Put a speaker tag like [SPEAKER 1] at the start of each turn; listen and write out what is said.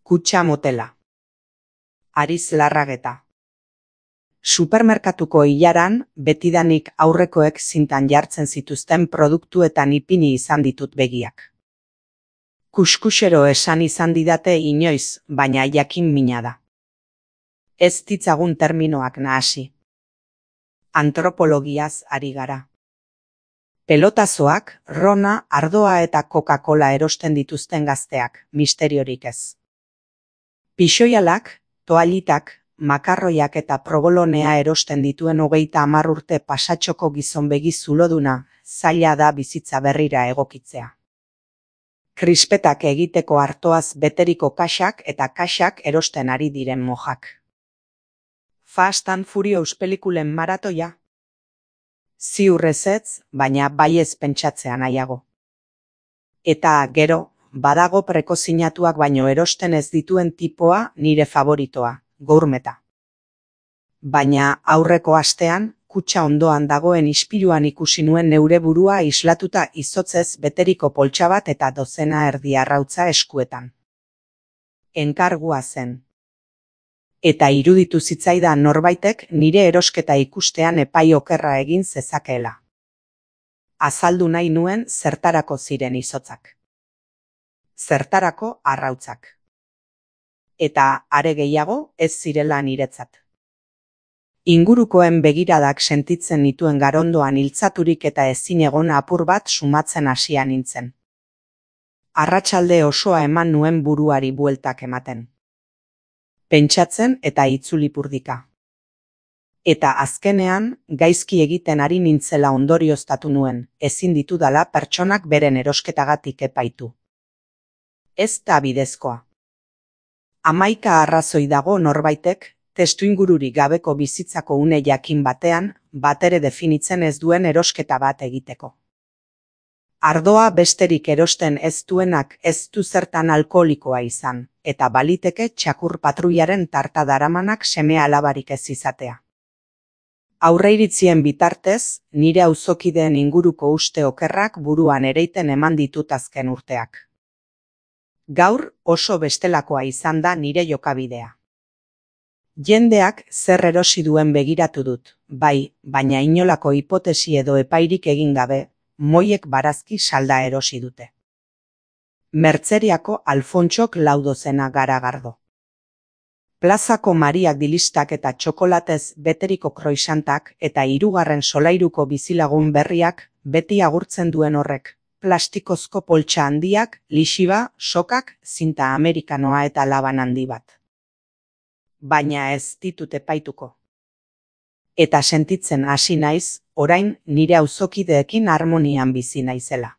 [SPEAKER 1] Kutxa motela. Ariz Larrageta. Supermerkatuko ilaran betidanik aurrekoek zintan jartzen zituzten produktuetan ipini izan ditut begiak. Kuskusero esan izan didate inoiz, baina jakin mina da. Ez ditzagun terminoak nahasi. Antropologiaz ari gara. Pelotazoak, Rona, ardoa eta Coca-Cola erosten dituzten gazteak, misteriorik ez. Pixoialak, toallitak, makarroiak eta probolonea erosten dituen 30 urte pasatxoko gizon begi zuloduna, zaila da bizitza berrira egokitzea. Krispetak egiteko artoaz beteriko kaxak eta kaxak erosten ari diren mojak. Fast and Furious pelikulen maratoia? Ziur ezetz, baina baiez pentsatzea nahiago. Eta gero, badago prekozinatuak baino erosten ez dituen tipoa nire favoritoa, gourmeta. Baina aurreko astean, kutxa ondoan dagoen ispiluan ikusi nuen neure burua islatuta izotzez beteriko poltsa bat eta dozena erdi arrautza eskuetan. Enkargua zen. Eta iruditu zitzaidan norbaitek nire erosketa ikustean epai okerra egin zezakeela. Azaldu nahi nuen zertarako ziren izotzak. Zertarako arrautzak. Eta are gehiago ez zirela niretzat. Ingurukoen begiradak sentitzen nituen garondoan iltzaturik eta ezinegon apur bat sumatzen hasia nintzen. Arratsalde osoa eman nuen buruari bueltak ematen. Pentsatzen eta itzulipurdika. Eta azkenean, gaizki egiten ari nintzela ondorioztatu nuen, ezin ditudala pertsonak beren erosketagatik epaitu. Ez da bidezkoa. 11 arrazoi dago norbaitek, testuingururik gabeko bizitzako une jakin batean, batere definitzen ez duen erosketa bat egiteko. Ardoa besterik erosten ez duenak ez du zertan alkoholikoa izan, eta baliteke txakur patruiaren tarta daramanak seme alabarik ez izatea. Aurreiritzien bitartez, nire auzokideen inguruko uste okerrak buruan ereiten eman ditut azken urteak. Gaur oso bestelakoa izan da nire jokabidea. Jendeak zer erosi duen begiratu dut, bai, baina inolako hipotesi edo epairik egin gabe, moiek barazki salda erosi dute. Mertzeriako Alfontxok 4 dozena garagardo. Plazako Mariak dilistak eta txokolatez beteriko kroisantak eta 3. solairuko bizilagun berriak beti agurtzen duen horrek, plastikozko poltsa handiak, lixiba, sokak, zinta amerikanoa eta laban handi bat. Baina ez ditut epaituko. Eta sentitzen hasi naiz, orain nire auzokideekin harmonian bizi naizela.